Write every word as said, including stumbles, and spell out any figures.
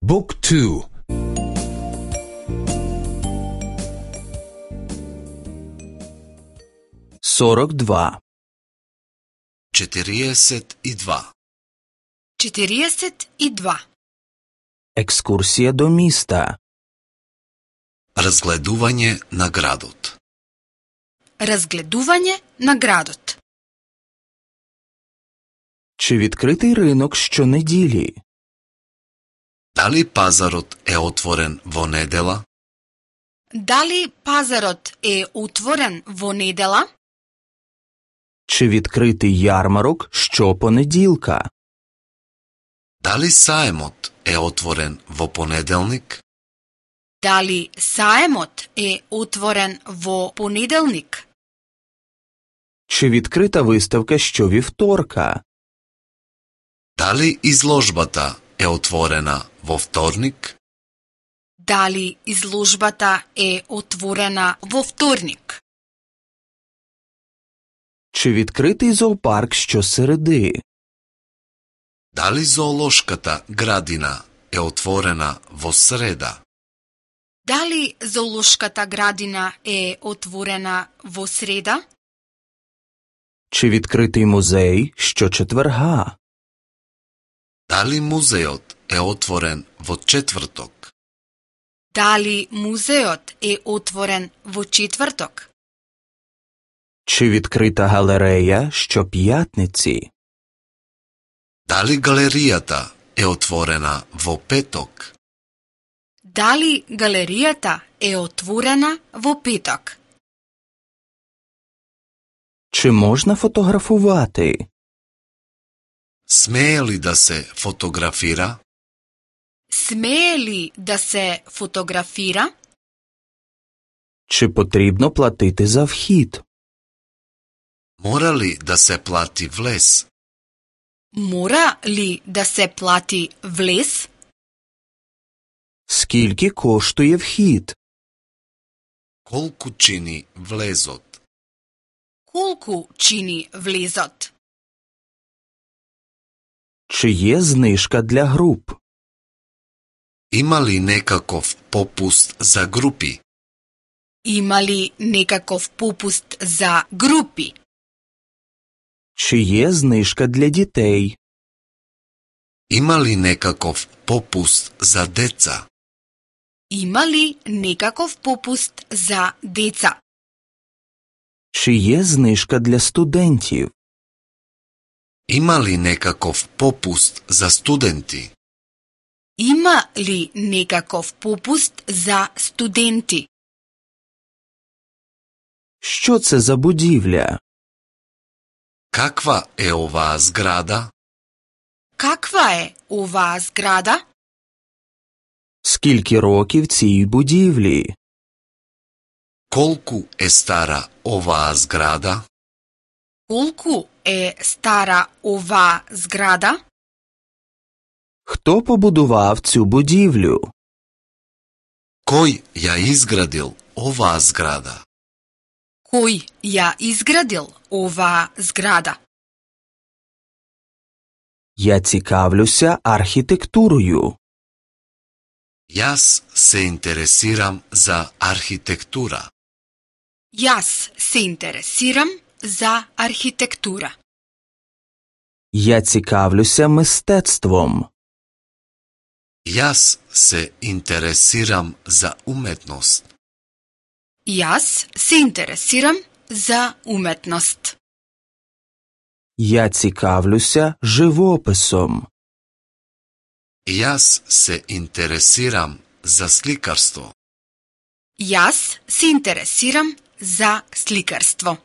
Book two. сорок два. четириесет и два. четириесет и два. Екскурсија до миста. Разгледување на градот. Разгледување на градот. Чи відкритий ринок щонеділі? Дали пазарот е отворен во недела? Дали пазарот е отворен во недела? Чи відкритий ярмарок щопонеділка? Дали саемот е отворен во понеделник? Дали саемот е отворен во понеделник? Чи відкрита виставка щовівторка? Дали изложбата е отворена во вторник? Дали изложбата е отворена во вторник? Чи відкритий зоопарк щосереди? Дали зоолошката градина е отворена во среда? Дали зоолошката градина е отворена во среда? Чи відкритий музей щочетверга? Дали музеот е отворен во четврток? Дали музеот е отворен во четврток? Чи відкрита галерея щоп'ятниці? Дали галеријата е отворена во петок? Дали галеријата е отворена во петок? Чи можна фотографувати? Смее ли да се фотографира? Смее ли да се фотографира? Чи потрібно платити за вхід? Мора ли да се плати влез? Мора ли да се плати влез? Скільки коштує вхід? Колку чини влезот? Колку чини влезот? Чи є знижка для груп? Има ли некаков попуст за групи? Има ли некаков попуст за групи? Чи є знижка для дітей? Има ли некаков попуст за деца? Има ли некаков попуст за деца? Чи є знижка для студентів? Има ли некаков попуст за студенти? Има ли некаков попуст за студенти? Що це за будівля? Каква е оваа зграда? Каква е оваа зграда? Скільки років цій будівлі? Колку е стара оваа зграда? Колку е стара оваа зграда? Хто побудував цю будівлю? Кој ја изградил оваа зграда? Кој ја изградил оваа зграда? Я цікавлюся архітектурою. Јас се интересирам за архитектура. Јас се интересирам за архитектура. Я цікавлюся мистецтвом. Јас се интересирам за уметност. Јас се интересирам за уметност. Я цікавлюся живописом. Јас се интересирам за сликарство. Јас се интересирам за сликарство.